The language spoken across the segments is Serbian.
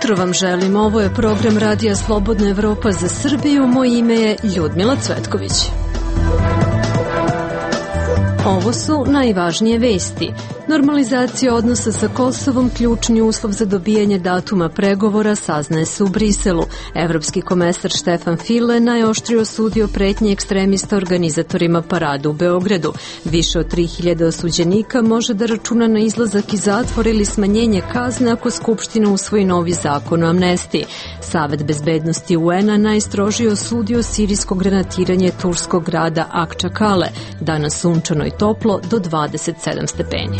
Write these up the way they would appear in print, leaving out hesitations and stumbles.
jutro vam želim. Ovo je program Radija Slobodna Evropa za Srbiju. Moje ime je Ljudmila Cvetković. Ovo su najvažnije vesti. Normalizacija odnosa sa Kosovom, ključni uslov za dobijanje datuma pregovora, saznaje se u Briselu. Evropski komesar Štefan File najoštrije osudio pretnje ekstremista organizatorima parada u Beogradu. Više od 3000 osuđenika može da računa na izlazak iz zatvora ili smanjenje kazne ako Skupština usvoji novi zakon o amnestiji. Savet bezbednosti UN-a najstrožije osudio sirijsko granatiranje turskog grada Akčakale. Danas sunčano i toplo do 27 stepeni.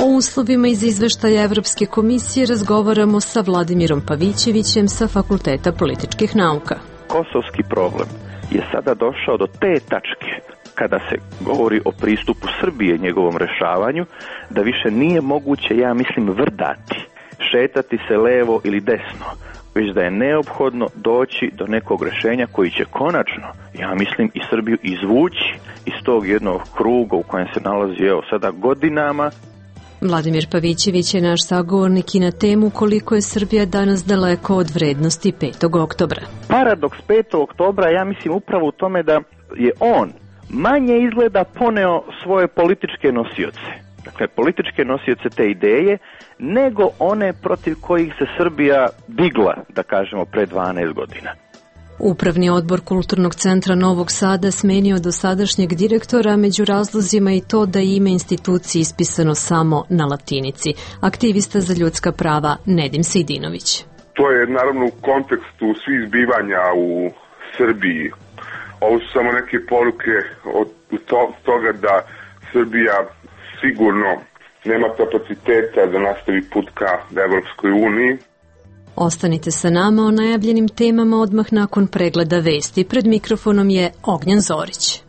O uslovima iz izveštaja Evropske komisije razgovaramo sa Vladimirom Pavićevićem sa Fakulteta političkih nauka. Kosovski problem je sada došao do te tačke kada se govori o pristupu Srbije njegovom rešavanju, da više nije moguće, ja mislim, vrdati, šetati se levo ili desno, već da je neophodno doći do nekog rešenja koji će konačno, ja mislim, i Srbiju izvući iz tog jednog kruga u kojem se nalazi sada godinama. Vladimir Pavićević je naš sagovornik i na temu koliko je Srbija danas daleko od vrednosti 5. oktobra. Paradoks 5. oktobra, ja mislim, upravo u tome da je on manje izgleda poneo svoje političke nosioce. Dakle, političke nosioce te ideje, nego one protiv kojih se Srbija digla, da kažemo, pre 12 godina. Upravni odbor Kulturnog centra Novog Sada smenio dosadašnjeg direktora, među razlozima i to da je ime institucije ispisano samo na latinici. Aktivista za ljudska prava Nedim Sejdinović. To je naravno u kontekstu svih zbivanja u Srbiji. Ovo su samo neke poruke od toga da Srbija sigurno nema kapaciteta da nastavi put ka Evropskoj uniji. Ostanite sa nama o najavljenim temama odmah nakon pregleda vesti. Pred mikrofonom je Ognjen Zorić.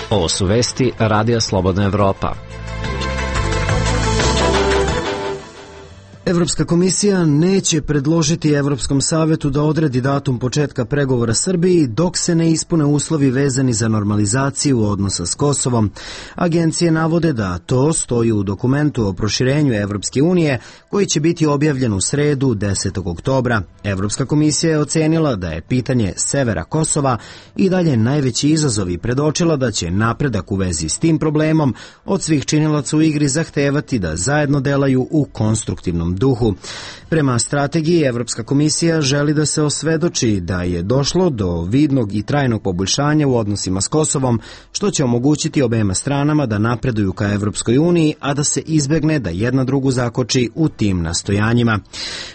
Ovo su vesti Radija Slobodna Evropa. Evropska komisija neće predložiti Evropskom savetu da odredi datum početka pregovora Srbiji dok se ne ispune uslovi vezani za normalizaciju odnosa s Kosovom. Agencije navode da to stoji u dokumentu o proširenju Evropske unije koji će biti objavljen u sredu 10. oktobra. Evropska komisija je ocenila da je pitanje severa Kosova i dalje najveći izazov i predočila da će napredak u vezi s tim problemom od svih činilaca u igri zahtevati da zajedno delaju u konstruktivnom duhu. Prema strategiji, Evropska komisija želi da se osvedoči da je došlo do vidnog i trajnog poboljšanja u odnosima s Kosovom, što će omogućiti obema stranama da napreduju ka Evropskoj uniji, a da se izbegne da jedna drugu zakoči u tim nastojanjima.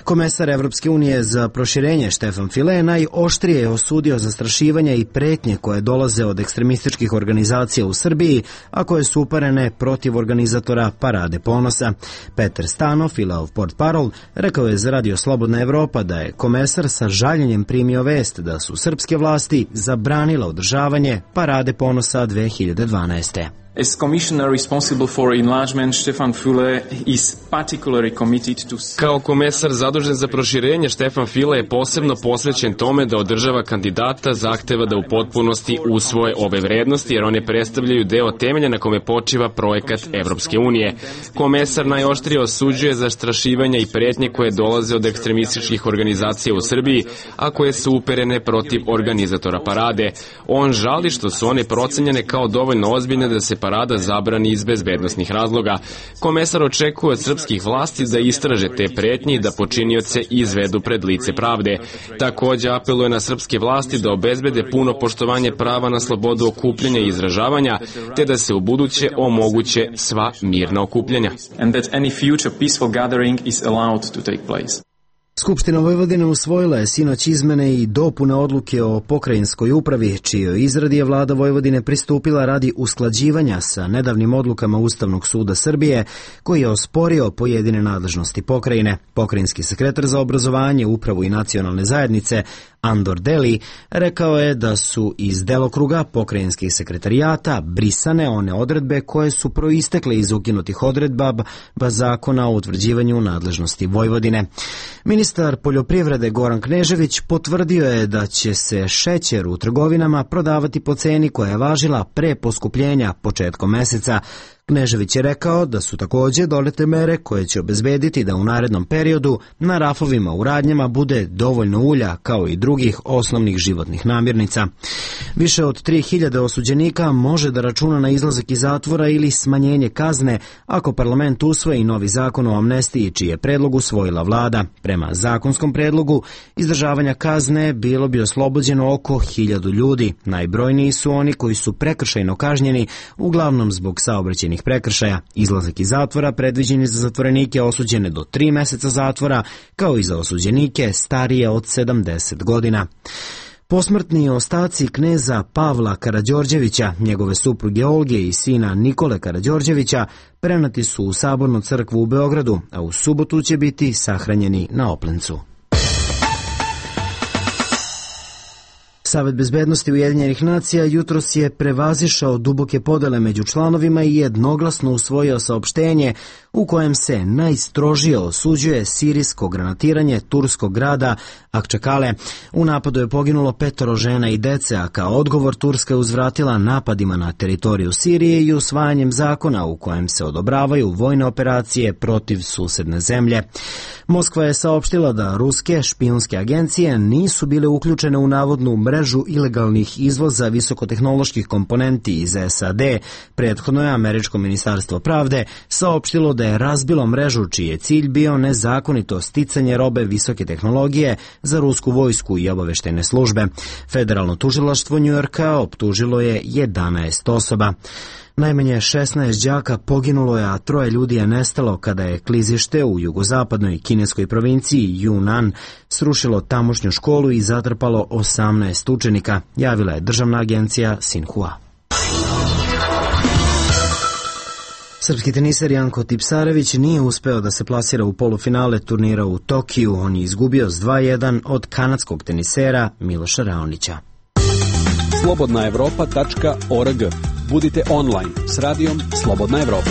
Komesar Evropske unije za proširenje Štefan File najoštrije je osudio zastrašivanja i pretnje koje dolaze od ekstremističkih organizacija u Srbiji, a koje su uparene protiv organizatora Parade ponosa. Petar Stanov, Fileov portparol, rekao je za Radio Slobodna Evropa da je komesar sa žaljenjem primio vest da su srpske vlasti zabranile održavanje Parade ponosa 2012. As commissioner responsible for enlargement, Stefan Füle is particularly committed to... Kao komesar zadužen za proširenje, Stefan Füle je posebno posvećen tome da održava kandidata zahteva da u potpunosti usvoje ove vrednosti, jer one predstavljaju deo temelja na kome počiva projekat Evropske unije. Komesar najoštrije osuđuje zastrašivanja i pretnje koje dolaze od ekstremističkih organizacija u Srbiji, a koje su uperene protiv organizatora parade. On žali što su one procenjene kao dovoljno ozbiljne da se parada zabrani iz bezbednosnih razloga. Komesar očekuje od srpskih vlasti da istraže te pretnje i da počinioce izvedu pred lice pravde. Takođe apeluje na srpske vlasti da obezbede puno poštovanje prava na slobodu okupljanja i izražavanja, te da se ubuduće omoguće sva mirna okupljanja. And that any future peaceful gathering is allowed to take place. Skupština Vojvodine usvojila je sinoć izmene i dopune odluke o pokrajinskoj upravi, čijoj izradi je vlada Vojvodine pristupila radi usklađivanja sa nedavnim odlukama Ustavnog suda Srbije, koji je osporio pojedine nadležnosti pokrajine. Pokrajinski sekretar za obrazovanje, upravu i nacionalne zajednice Andor Deli rekao je da su iz delokruga pokrajinskih sekretarijata brisane one odredbe koje su proistekle iz ukinutih odredaba Zakona o utvrđivanju nadležnosti Vojvodine. Ministar poljoprivrede Goran Knežević potvrdio je da će se šećer u trgovinama prodavati po ceni koja je važila pre poskupljenja početkom meseca. Knežević je rekao da su također donete mere koje će obezbediti da u narednom periodu na rafovima u radnjama bude dovoljno ulja kao i drugih osnovnih životnih namirnica. Više od 3000 osuđenika može da računa na izlazak iz zatvora ili smanjenje kazne ako parlament usvoji novi zakon o amnestiji čiji je predlog usvojila vlada. Prema zakonskom predlogu izdržavanja kazne bilo bi oslobođeno oko 1000 ljudi. Najbrojniji su oni koji su prekršajno kažnjeni, uglavnom zbog saobraćajnih prekršaja. Izlazak iz zatvora predviđen je za zatvorenike osuđene do 3 meseca zatvora, kao i za osuđenike starije od 70 godina. Posmrtni ostaci kneza Pavla Karađorđevića, njegove supruge Olge i sina Nikole Karađorđevića prenati su u Sabornu crkvu u Beogradu, a u subotu će biti sahranjeni na Oplencu. Savet bezbednosti Ujedinjenih nacija jutros je prevazišao duboke podele među članovima i jednoglasno usvojio saopštenje u kojem se najstrožije osuđuje sirijsko granatiranje turskog grada Akčakale. U napadu je poginulo 5 žena i dece, a kao odgovor Turska je uzvratila napadima na teritoriju Sirije i usvajanjem zakona u kojem se odobravaju vojne operacije protiv susedne zemlje. Moskva je saopštila da ruske špijunske agencije nisu bile uključene u navodnu mrežu ilegalnih izvoza visokotehnoloških komponenti iz SAD. Prethodno je Američko ministarstvo pravde saopštilo da je razbilo mrežu čiji je cilj bio nezakonito sticanje robe visoke tehnologije za rusku vojsku i obaveštajne službe. Federalno tužilaštvo Njujorka optužilo je 11 osoba. Najmanje 16 đaka poginulo je, a 3 ljudi je nestalo kada je klizište u jugozapadnoj kineskoj provinciji Yunnan srušilo tamošnju školu i zatrpalo 18 učenika, javila je državna agencija Sinhua. Srpski teniser Janko Tipsarević nije uspeo da se plasira u polufinale turnira u Tokiju. On je izgubio s 2:1 od kanadskog tenisera Miloša Raonića. slobodnaevropa.org. Budite online s radijom Slobodna Evropa.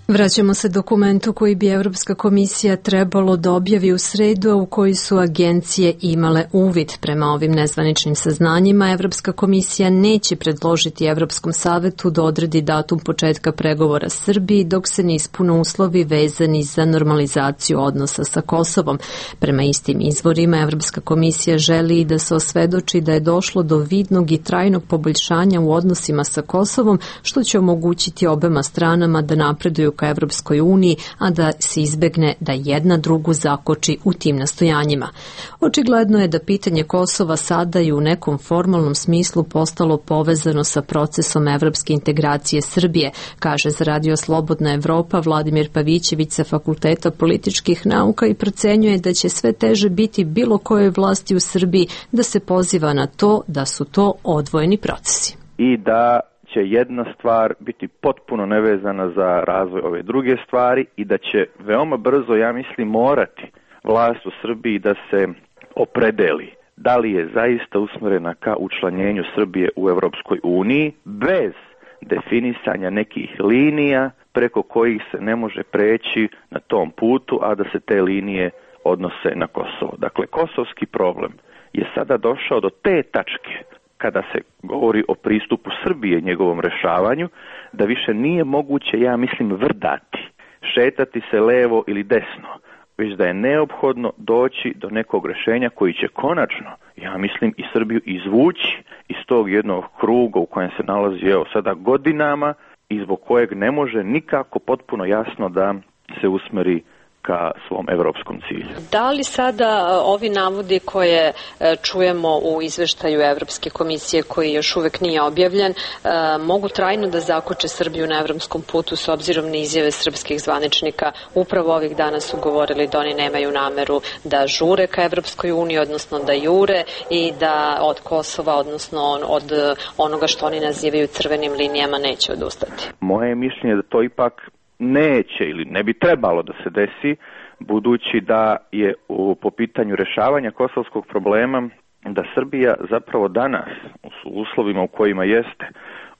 Vraćamo se dokumentu koji bi Evropska komisija trebalo da objavi u sredu, a u koji su agencije imale uvid. Prema ovim nezvaničnim saznanjima, Evropska komisija neće predložiti Evropskom savetu da odredi datum početka pregovora Srbiji dok se ne ispune uslovi vezani za normalizaciju odnosa sa Kosovom. Prema istim izvorima, Evropska komisija želi da se osvedoči da je došlo do vidnog i trajnog poboljšanja u odnosima sa Kosovom, što će omogućiti obema stranama da napreduju ka Evropskoj uniji, a da se izbegne da jedna drugu zakoči u tim nastojanjima. Očigledno je da pitanje Kosova sada i u nekom formalnom smislu postalo povezano sa procesom evropske integracije Srbije, kaže za Radio Slobodna Evropa Vladimir Pavićević sa Fakulteta političkih nauka i procenjuje da će sve teže biti bilo kojoj vlasti u Srbiji da se poziva na to da su to odvojeni procesi. I da će jedna stvar biti potpuno nevezana za razvoj ove druge stvari i da će veoma brzo, ja mislim, morati vlast u Srbiji da se opredeli da li je zaista usmjerena ka učlanjenju Srbije u Evropskoj uniji bez definisanja nekih linija preko kojih se ne može preći na tom putu, a da se te linije odnose na Kosovo. Dakle, kosovski problem je sada došao do te tačke kada se govori o pristupu Srbije njegovom rešavanju, da više nije moguće, ja mislim, vrdati, šetati se levo ili desno, već da je neophodno doći do nekog rešenja koji će konačno, ja mislim, i Srbiju izvući iz tog jednog kruga u kojem se nalazi sada godinama i zbog kojeg ne može nikako potpuno jasno da se usmeri ka svom evropskom cilju. Da li sada ovi navodi koje čujemo u izveštaju Evropske komisije, koji još uvek nije objavljen, mogu trajno da zakoče Srbiju na evropskom putu s obzirom na izjave srpskih zvaničnika? Upravo ovih dana su govorili da oni nemaju nameru da žure ka Evropskoj uniji, odnosno da jure i da od Kosova, odnosno od onoga što oni nazivaju crvenim linijama, neće odustati. Moje mišljenje je da to ipak neće ili ne bi trebalo da se desi, budući da je po pitanju rešavanja kosovskog problema da Srbija zapravo danas u uslovima u kojima jeste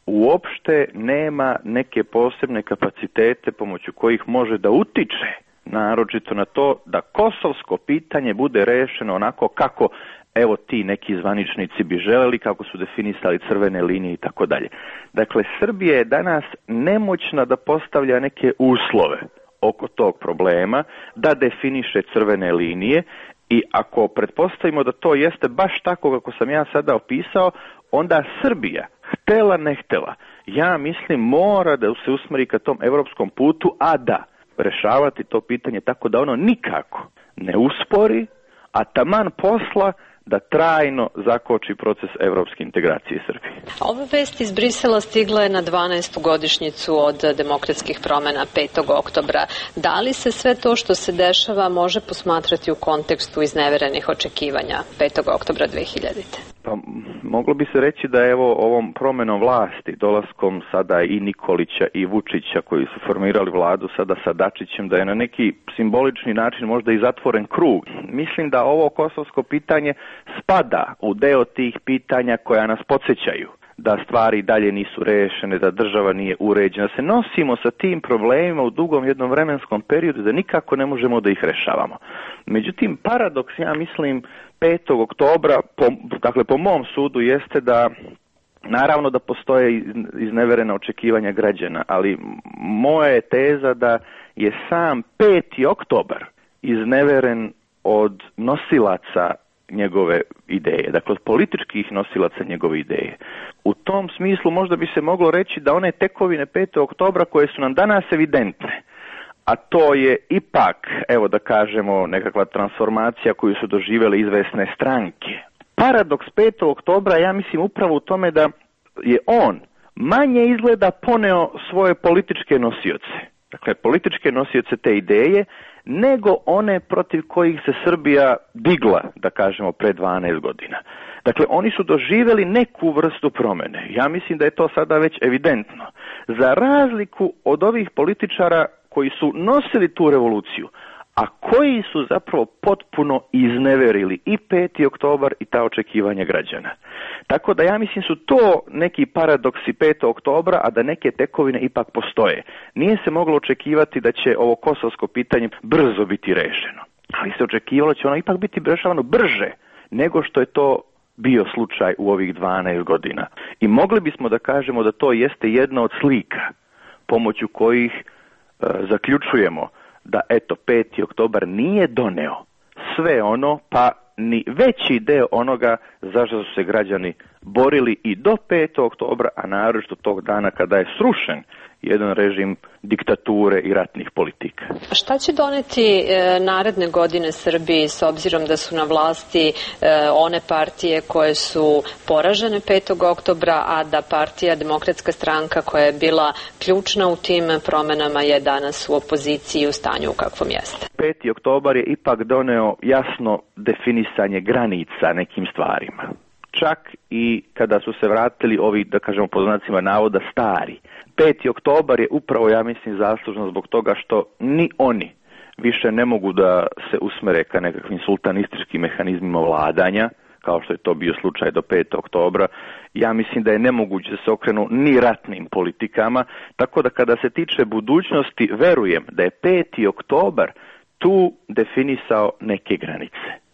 uopšte nema neke posebne kapacitete pomoću kojih može da utiče naročito na to da kosovsko pitanje bude rešeno onako kako evo ti neki zvaničnici bi želeli, kako su definisali crvene linije i tako dalje. Dakle, Srbija je danas nemoćna da postavlja neke uslove oko tog problema, da definiše crvene linije, i ako pretpostavimo da to jeste baš tako kako sam ja sada opisao, onda Srbija, htela ne htela, ja mislim mora da se usmeri ka tom evropskom putu, a da rešavati to pitanje tako da ono nikako ne uspori, a taman posla da trajno zakoči proces evropske integracije Srbije. Ova vest iz Brisela stigla je na 12. godišnjicu od demokratskih promena 5. oktobra. Da li se sve to što se dešava može posmatrati u kontekstu izneverenih očekivanja 5. oktobra 2000. Pa moglo bi se reći da evo ovom promenom vlasti, dolaskom sada i Nikolića i Vučića koji su formirali vladu sada sa Dačićem, da je na neki simbolični način možda i zatvoren krug. Mislim da ovo kosovsko pitanje spada u deo tih pitanja koja nas podsjećaju da stvari dalje nisu rešene, da država nije uređena, da se nosimo sa tim problemima u dugom jednom vremenskom periodu, da nikako ne možemo da ih rešavamo. Međutim, paradoks, ja mislim, 5. oktobra, dakle po mom sudu, jeste da naravno da postoje izneverena očekivanja građana, ali moja je teza da je sam 5. oktobar izneveren od nosilaca njegove ideje, dakle od političkih nosilaca njegove ideje. U tom smislu možda bi se moglo reći da one tekovine 5. oktobra koje su nam danas evidentne, a to je ipak, evo da kažemo, nekakva transformacija koju su doživjele izvesne stranke. Paradoks 5. oktobra, ja mislim, upravo u tome da je on manje izgleda poneo svoje političke nosioce, dakle političke nosioce te ideje, nego one protiv kojih se Srbija digla, da kažemo, pre 12 godina. Dakle, oni su doživjeli neku vrstu promene. Ja mislim da je to sada već evidentno. Za razliku od ovih političara koji su nosili tu revoluciju, a koji su zapravo potpuno izneverili i 5. oktobar i ta očekivanja građana. Tako da ja mislim su to neki paradoksi 5. oktobra, a da neke tekovine ipak postoje. Nije se moglo očekivati da će ovo kosovsko pitanje brzo biti rešeno, ali se očekivalo da će ono ipak biti rešavano brže nego što je to bio slučaj u ovih 12 godina. I mogli bismo da kažemo da to jeste jedna od slika pomoću kojih zaključujemo da eto 5. oktobar nije doneo sve ono, pa ni veći deo onoga zašto su se građani borili i do 5. oktobra, a naročito tog dana kada je srušen jedan režim diktature i ratnih politika. Šta će doneti naredne godine Srbiji s obzirom da su na vlasti one partije koje su poražene 5. oktobra, a da partija Demokratska stranka koja je bila ključna u tim promenama je danas u opoziciji u stanju u kakvom jeste? 5. oktobar je ipak doneo jasno definisanje granica nekim stvarima. Čak i kada su se vratili ovi, da kažemo po znacima navoda, stari. 5. oktobar je upravo, ja mislim, zaslužno zbog toga što ni oni više ne mogu da se usmere ka nekakvim sultanističkim mehanizmima vladanja, kao što je to bio slučaj do 5. oktobra. Ja mislim da je nemoguće da se okrenu ni ratnim politikama, tako da kada se tiče budućnosti, verujem da je 5. oktobar tu definisao neke granice.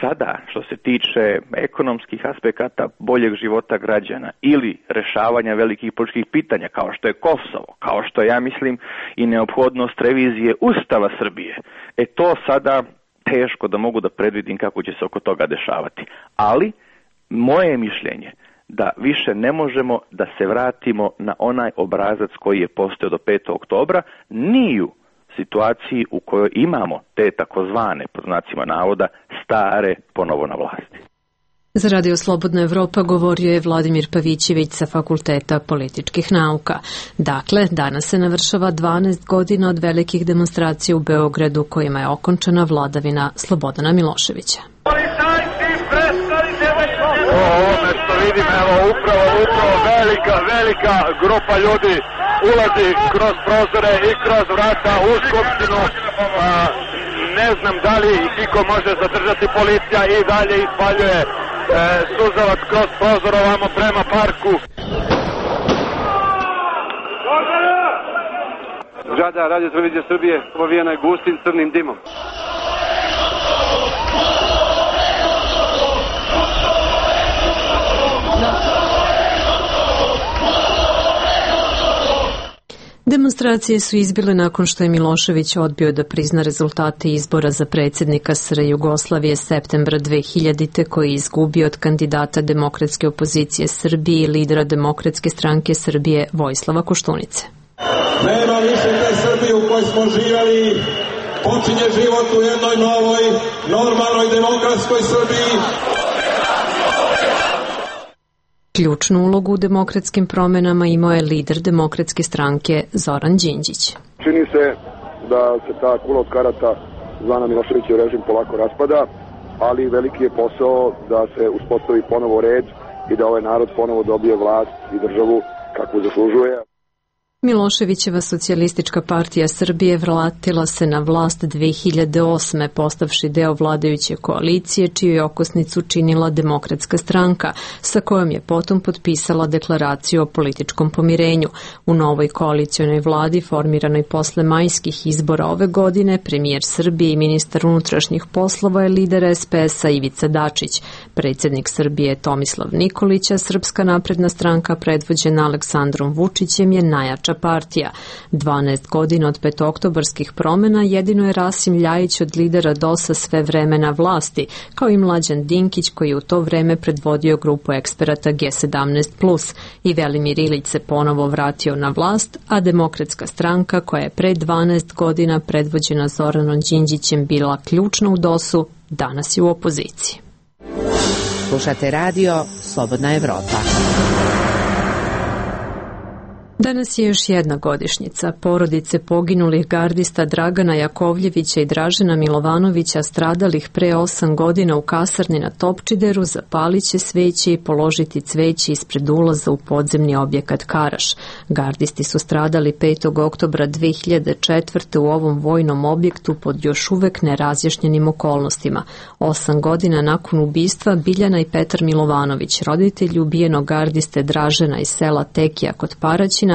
Sada, što se tiče ekonomskih aspekata boljeg života građana ili rešavanja velikih političkih pitanja, kao što je Kosovo, kao što je, ja mislim, i neophodnost revizije Ustava Srbije, to sada teško da mogu da predvidim kako će se oko toga dešavati. Ali, moje je mišljenje da više ne možemo da se vratimo na onaj obrazac koji je postojao do 5. oktobra, ni u situaciji u kojoj imamo te takozvane, pod znacima navoda, stare ponovo na vlasti. Za Radio Slobodna Evropa govorio je Vladimir Pavićević sa Fakulteta političkih nauka. Dakle, danas se navršava 12 godina od velikih demonstracija u Beogradu kojima je okončana vladavina Slobodana Miloševića. Ovome što vidim, evo upravo velika grupa ljudi ulazi kroz prozore i kroz vrata u Skupštinu. Ne znam da li iko može zadržati, policija i dalje ispaljuje suzavac kroz prozor ovamo prema parku. Zgrada Radio Televizije Srbije povijena je gustim crnim dimom. Demonstracije su izbile nakon što je Milošević odbio da prizna rezultate izbora za predsjednika SR Jugoslavije septembra 2000. koji je izgubio od kandidata demokratske opozicije Srbije i lidera Demokratske stranke Srbije Vojislava Koštunice. Nema više te Srbije u kojoj smo živjeli, počinje život u jednoj novoj, normalnoj demokratskoj Srbiji. Ključnu ulogu u demokratskim promenama imao je lider Demokratske stranke Zoran Đinđić. Čini se da se ta kula od karata zvana Miloševićev režim polako raspada, ali veliki je posao da se uspostavi ponovo red i da ovaj narod ponovo dobije vlast i državu kakvu zaslužuje. Miloševićeva socijalistička partija Srbije vratila se na vlast 2008. postavši deo vladajuće koalicije, čiju je okosnicu činila Demokratska stranka, sa kojom je potom potpisala deklaraciju o političkom pomirenju. U novoj koalicionoj vladi, formiranoj posle majskih izbora ove godine, premijer Srbije i ministar unutrašnjih poslova je lider SPS-a Ivica Dačić. Predsjednik Srbije Tomislav Nikolić, a Srpska napredna stranka predvođena Aleksandrom Vučićem je najjača partija. 12 godina od petooktobarskih promjena jedino je Rasim Ljajić od lidera DOS-a sve vreme na vlasti, kao i Mlađan Dinkić koji je u to vreme predvodio grupu eksperata G17+, i Velimir Ilić se ponovo vratio na vlast, a Demokratska stranka koja je pre 12 godina predvođena Zoranom Đinđićem bila ključna u DOS-u, danas je u opoziciji. Slušate radio Slobodna Evropa. Danas je još jedna godišnjica. Porodice poginulih gardista Dragana Jakovljevića i Dražena Milovanovića, stradalih pre 8 godina u kasarni na Topčideru, zapaliće sveće i položiti cveće ispred ulaza u podzemni objekat Karaš. Gardisti su stradali 5. oktobra 2004. u ovom vojnom objektu pod još uvek nerazjašnjenim okolnostima. 8 godina nakon ubistva Biljana i Petar Milovanović, roditelji ubijenog gardiste Dražena iz sela Tekija kod Paraćina,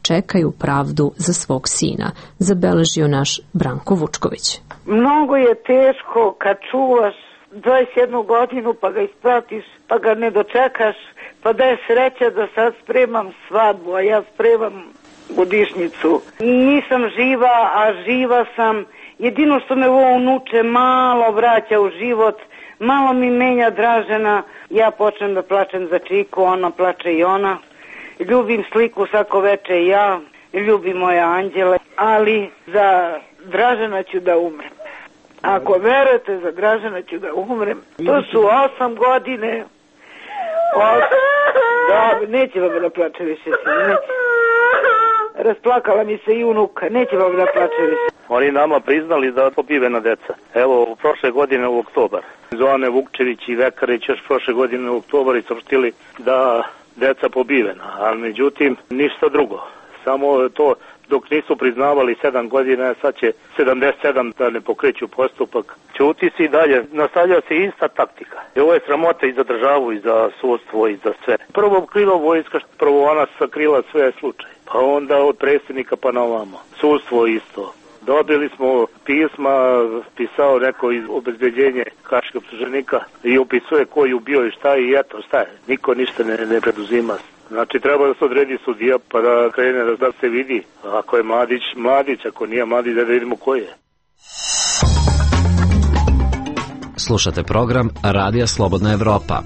čekaju pravdu za svog sina, zabeležio naš Branko Vučković. Mnogo je teško kad čuvaš 21 godinu pa ga ispratiš, pa ga ne dočekaš, pa da je sreća da sad spremam svadbu, a ja spremam godišnjicu. Nisam živa, a živa sam. Jedino što me ovo unuče malo vraća u život, malo mi menja Dražena. Ja počnem da plačem za Čiku, ona plače i ona. Ljubim sliku svako veče i ja, ljubim moje anđele, ali za Dražena ću da umrem. Ako verujete, za Dražena ću da umrem. To su 8 godine. Da, neće vam da plače više, neće. Rasplakala mi se i unuka, neće vam da plače više. Oni nama priznali da pobivena deca. Evo, prošle godine u oktobar. Zoane Vukčević i Vekarić još prošle godine u oktobar i saopštili da deca pobivena, ali međutim ništa drugo. Samo to dok nisu priznavali 7 godina, sad će 77 da ne pokreću postupak. Ćuti se i dalje, nastavlja se ista taktika. I ovo je sramota i za državu, i za sudstvo, i za sve. Prvo kriva vojska, prvo ona sakrila sve slučaje, pa onda od predsjednika pa na ovamo. Sudstvo isto. Dobili smo pisma, pisao neko iz obezbeđenje haških optuženika i opisuje ko je ubio i šta i eto šta je. Niko ništa ne preduzima. Znači treba da se odredi sudija pa da krene da se vidi. Ako je Mladić, Mladić, ako nije Mladić, da vidimo ko je. Slušate program Radija Slobodna Evropa.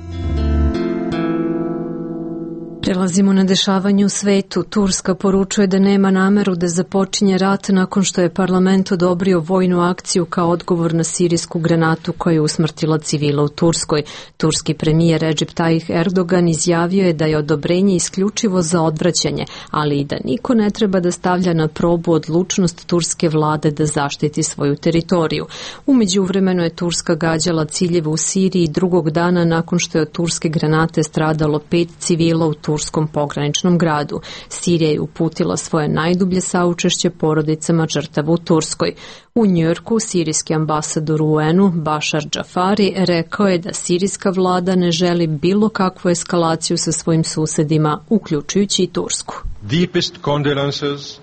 Prelazimo na dešavanje u svetu. Turska poručuje da nema nameru da započinje rat nakon što je parlament odobrio vojnu akciju kao odgovor na sirijsku granatu koja je usmrtila civila u Turskoj. Turski premijer Recep Tayyip Erdogan izjavio je da je odobrenje isključivo za odvraćanje, ali i da niko ne treba da stavlja na probu odlučnost turske vlade da zaštiti svoju teritoriju. U međuvremenu je Turska gađala ciljeve u Siriji drugog dana nakon što je od turske granate stradalo 5 civila u turskom pograničnom gradu. Sirija je uputila svoje najdublje saučešće porodicama žrtava u Turskoj. U Njujorku sirijski ambasador u UN-u Bashar Džafari rekao je da sirijska vlada ne želi bilo kakvu eskalaciju sa svojim susedima, uključujući i Tursku. Deepest condolences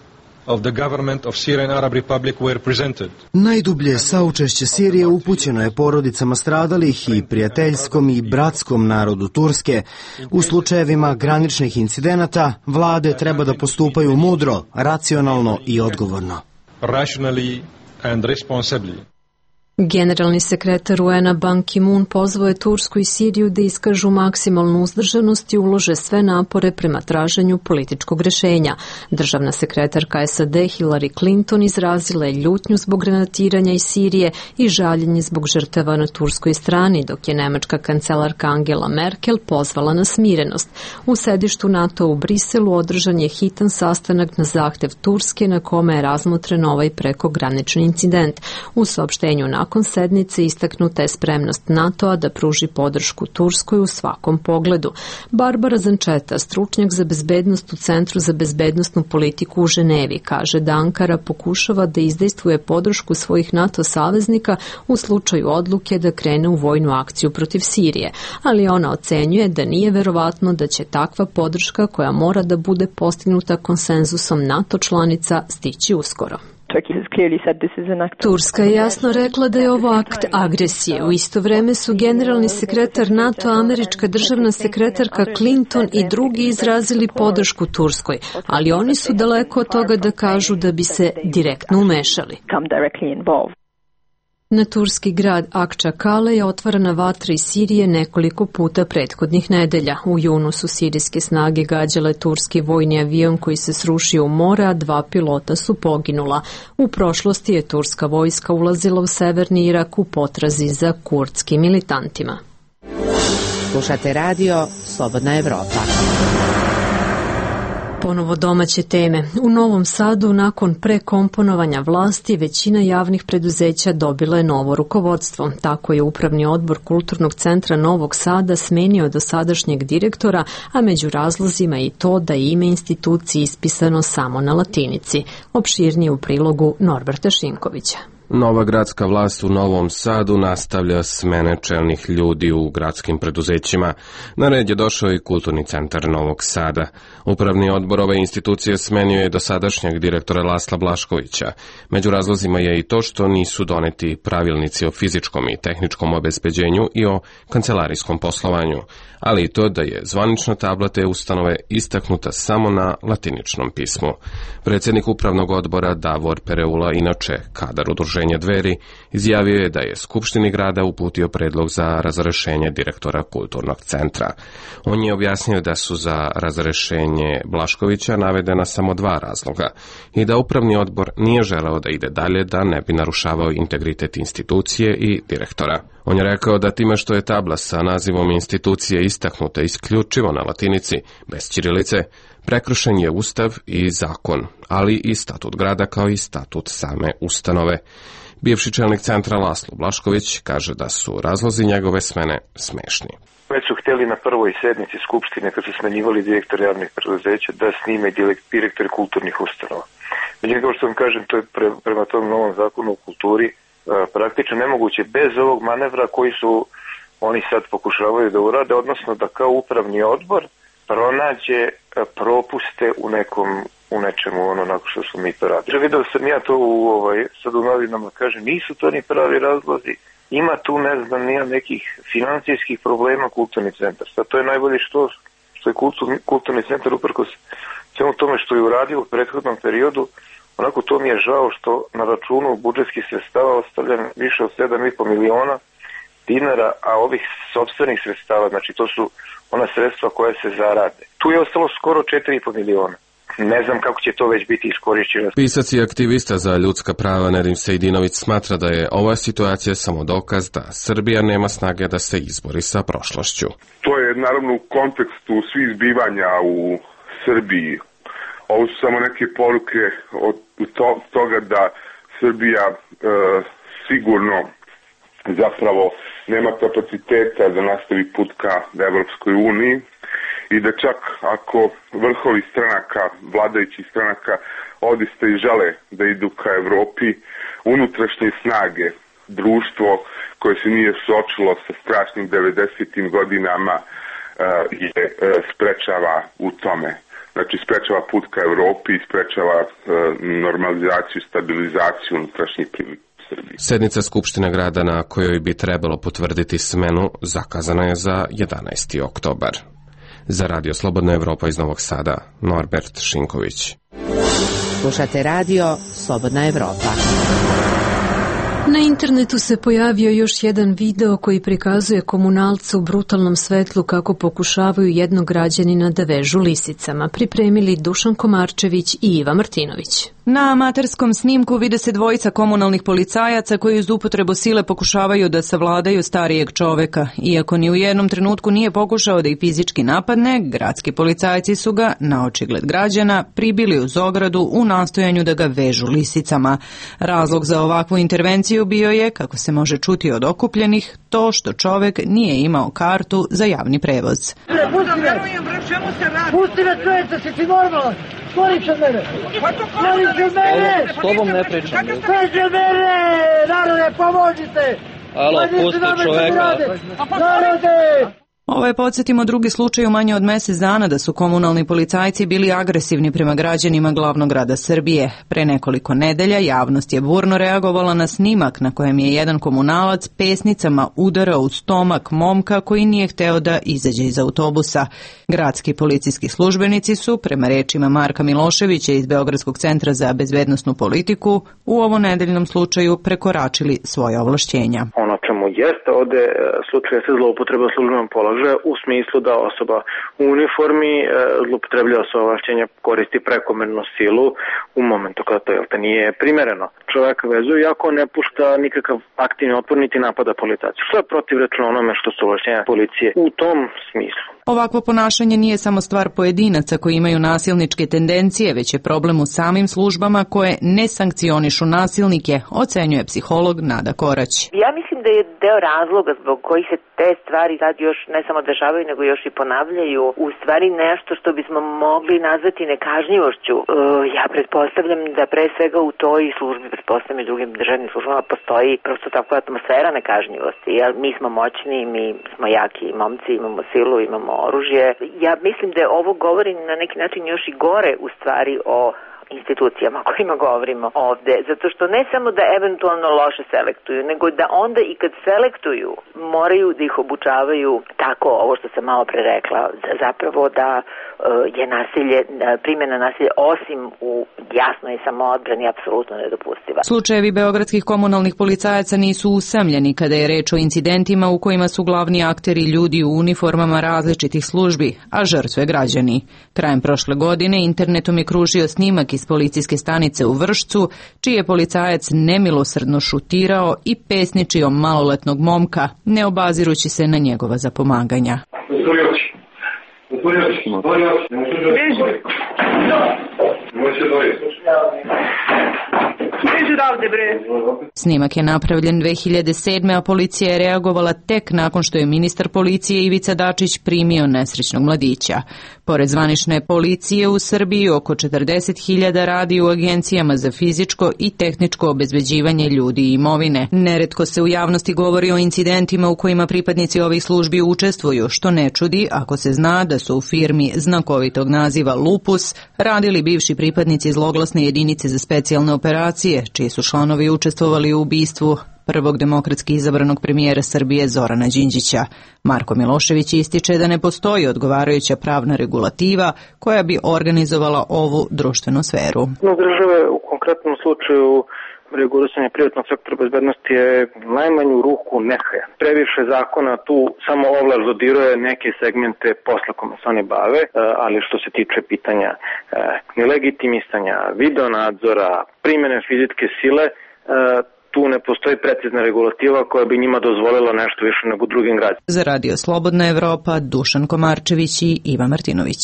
of the government of Syrian Arab Republic were presented. Najdublje saučešće Sirije upućeno je porodicama stradalih i prijateljskom i bratskom narodu Turske. U slučajevima graničnih incidenata vlade treba da postupaju mudro, racionalno i odgovorno. Rationally and responsibly. Generalni sekretar UN-a Ban Ki-moon pozvao je Tursku i Siriju da iskažu maksimalnu uzdržanost i ulože sve napore prema traženju političkog rešenja. Državna sekretarka SAD Hillary Clinton izrazila je ljutnju zbog granatiranja iz Sirije i žaljenje zbog žrtava na turskoj strani, dok je nemačka kancelarka Angela Merkel pozvala na smirenost. U sedištu NATO u Briselu održan je hitan sastanak na zahtev Turske na kome je razmotren ovaj prekogranični incident. U saopštenju nakon sednice istaknuta je spremnost NATO-a da pruži podršku Turskoj u svakom pogledu. Barbara Zančeta, stručnjak za bezbednost u Centru za bezbednostnu politiku u Ženevi, kaže da Ankara pokušava da izdejstvuje podršku svojih NATO saveznika u slučaju odluke da krene u vojnu akciju protiv Sirije, ali ona ocenjuje da nije verovatno da će takva podrška, koja mora da bude postignuta konsenzusom NATO članica, stići uskoro. Turska je jasno rekla da je ovo akt agresije. U isto vreme su generalni sekretar NATO, američka državna sekretarka Clinton i drugi izrazili podršku Turskoj, ali oni su daleko od toga da kažu da bi se direktno umešali. Na turski grad Akčakale je otvarana vatra iz Sirije nekoliko puta prethodnih nedelja. U junu su sirijske snage gađale turski vojni avion koji se srušio u more, a 2 pilota su poginula. U prošlosti je turska vojska ulazila u severni Irak u potrazi za kurdskim militantima. Slušate radio Slobodna Evropa. Ponovo domaće teme. U Novom Sadu nakon prekomponovanja vlasti većina javnih preduzeća dobila je novo rukovodstvo. Tako je Upravni odbor Kulturnog centra Novog Sada smenio dosadašnjeg direktora, a među razlozima i to da je ime institucije ispisano samo na latinici. Opširnije u prilogu Norberta Šinkovića. Nova gradska vlast u Novom Sadu nastavlja smene čelnih ljudi u gradskim preduzećima. Na red je došao i Kulturni centar Novog Sada. Upravni odbor ove institucije smenio je dosadašnjeg direktora Lasla Blaškovića. Među razlozima je i to što nisu doneti pravilnici o fizičkom i tehničkom obezbeđenju i o kancelarijskom poslovanju, ali i to da je zvanična tabla te ustanove istaknuta samo na latiničnom pismu. Predsjednik upravnog odbora Davor Pereula, inače kadar udruženja Dveri, izjavio je da je Skupštini grada uputio predlog za razrešenje direktora Kulturnog centra. On je objasnio da su za razrešenje Blaškovića navedena samo 2 razloga i da upravni odbor nije želeo da ide dalje da ne bi narušavao integritet institucije i direktora. On je rekao da time što je tabla sa nazivom institucije istaknuta isključivo na latinici, bez ćirilice, prekršen je Ustav i zakon, ali i statut grada kao i statut same ustanove. Bivši čelnik centra Laslo Blašković kaže da su razlozi njegove smene smešni. Već su htjeli na prvoj sednici Skupštine, kad su smenjivali direktore javnih preduzeća, da snime direktori kulturnih ustanova. Međutim, kao što vam kažem, to je prema tom novom zakonu o kulturi praktično nemoguće bez ovog manevra koji su oni sad pokušavaju da urade, odnosno da kao upravni odbor pronađe propuste u nečemu, onako što smo mi to radili. Vidio sam ja to sad u novinama, kažem, nisu to ni pravi razlozi, ima tu, ne znam, nija nekih financijskih problema Kulturni centar. Sad to je najbolje što je Kulturni centar uprkos svemu tome što je uradio u prethodnom periodu. Onako to mi je žao što na računu budžetskih sredstava ostavljam više od 7,5 miliona dinara, a ovih sopstvenih sredstava, znači to su ona sredstva koja se zarade. Tu je ostalo skoro 4,5 miliona. Ne znam kako će to već biti iskorišćeno. Pisac i aktivista za ljudska prava Nedim Sejdinović smatra da je ova situacija samo dokaz da Srbija nema snage da se izbori sa prošlošću. To je naravno u kontekstu svih zbivanja u Srbiji. Ovo su samo neke poruke od toga da Srbija sigurno zapravo nema kapaciteta da nastavi put ka Evropskoj uniji i da čak ako vrhovi stranaka, vladajućih stranaka odista i žele da idu ka Evropi, unutrašnje snage, društvo koje se nije suočilo sa strašnim 90. godinama je sprečava u tome. Znači sprečava put ka Evropi, sprečava normalizaciju i stabilizaciju unutrašnjih prilika. Sednica Skupštine grada na kojoj bi trebalo potvrditi smenu zakazana je za 11. oktobar. Za Radio Slobodna Evropa iz Novog Sada, Norbert Šinković. Slušate Radio Slobodna Evropa. Na internetu se pojavio još jedan video koji prikazuje komunalce u brutalnom svetlu kako pokušavaju jednog građanina da vežu lisicama. Pripremili Dušan Komarčević i Iva Martinović. Na amaterskom snimku vide se dvojica komunalnih policajaca koji uz upotrebu sile pokušavaju da savladaju starijeg čoveka. Iako ni u jednom trenutku nije pokušao da ih fizički napadne, gradski policajci su ga, na očigled građana, pribili uz ogradu u nastojanju da ga vežu lisicama. Razlog za ovakvu intervenciju bio je, kako se može čuti od okupljenih, to što čovek nije imao kartu za javni prevoz. Pusti me, čovječe, si ti normalan? Skoriš od mene! Skoriš od mene! S tobom ne pričam. Skoriš od mene! Narode, pomožite! Alo, pusti čoveka. Narode! Ovo je, podsjetimo, drugi slučaj u manje od mesec dana da su komunalni policajci bili agresivni prema građanima glavnog grada Srbije. Pre nekoliko nedelja javnost je burno reagovala na snimak na kojem je jedan komunalac pesnicama udarao u stomak momka koji nije hteo da izađe iz autobusa. Gradski policijski službenici su, prema rečima Marka Miloševića iz Beogradskog centra za bezbednosnu politiku, u ovom nedeljnom slučaju prekoračili svoje ovlašćenja. Ono čemu jeste ovde slučaj se zloupotreba službenog položaja u smislu da osoba u uniformi zloupotrebljava svoje ovlašćenja, koristi prekomernu silu u momentu kada to nije primereno. Čovjek vezuje iako ne pušta nikakav aktivni otpor niti napada policajca, što je protivrečno onome što su ovlašćenja policije u tom smislu. Ovakvo ponašanje nije samo stvar pojedinaca koji imaju nasilničke tendencije, već je problem u samim službama koje ne sankcionišu nasilnike, ocenjuje psiholog Nada Korać. Ja mislim da je deo razloga zbog kojih se te stvari sad još ne samo dešavaju, nego još i ponavljaju, u stvari nešto što bismo mogli nazvati nekažnjivošću. Ja pretpostavljam da pre svega u toj službi, pretpostavljam i drugim državnim službama, postoji prosto takva atmosfera nekažnjivosti. Mi smo moćni, mi smo jaki momci, imamo silu, imamo oružje. Ja mislim da ovo govori na neki način još i gore u stvari o institucijama o kojima govorimo ovde, zato što ne samo da eventualno loše selektuju, nego da onda i kad selektuju moraju da ih obučavaju tako, ovo što sam malo pre rekla, zapravo da je nasilje, primjena nasilja osim u jasnoj samoodbrani apsolutno nedopustiva. Slučajevi beogradskih komunalnih policajaca nisu usamljeni kada je reč o incidentima u kojima su glavni akteri ljudi u uniformama različitih službi, a žrtve građani. Krajem prošle godine internetom je kružio snimak iz policijske stanice u Vršcu, čiji je policajac nemilosrdno šutirao i pesničio maloletnog momka, ne obazirući se na njegova zapomaganja. Snimak je napravljen 2007. a policija je reagovala tek nakon što je ministar policije Ivica Dačić primio nesrećnog mladića. Pored zvanične policije u Srbiji, oko 40.000 radi u agencijama za fizičko i tehničko obezbeđivanje ljudi i imovine. Neretko se u javnosti govori o incidentima u kojima pripadnici ovih službi učestvuju, što ne čudi ako se zna da su u firmi znakovitog naziva Lupus radili bivši pripadnici zloglasne jedinice za specijalne operacije, čiji su članovi učestvovali u ubistvu prvog demokratski izabranog premijera Srbije Zorana Đinđića. Marko Milošević ističe da ne postoji odgovarajuća pravna regulativa koja bi organizovala ovu društvenu sferu. Države u konkretnom slučaju regulisanje privatnog sektora bezbednosti je najmanju ruku nehaja. Previše zakona tu samo ovlast dodiruje neke segmente posla kome se oni bave, ali što se tiče pitanja nelegitimisanja, videonadzora, primjene fizičke sile, tu ne postoji precizna regulativa koja bi njima dozvolila nešto više nego drugim građanima. Za Radio Slobodna Evropa, Dušan Komarčević i Iva Martinović.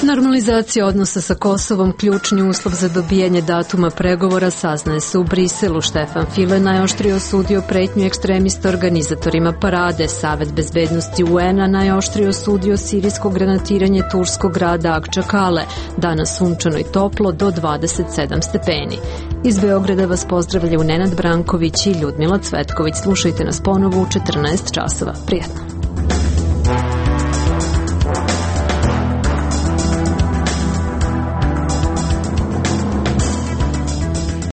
Normalizacija odnosa sa Kosovom, ključni uslov za dobijanje datuma pregovora, saznaje se u Briselu. Štefan File najoštrije osudio pretnju ekstremista organizatorima parade. Savet bezbednosti UN-a najoštrije osudio sirijsko granatiranje turskog grada Akčakale. Danas sunčano i toplo do 27 stepeni. Iz Beograda vas pozdravljaju Nenad Branković i Ljudmila Cvetković. Slušajte nas ponovo u 14 časova. Prijetno.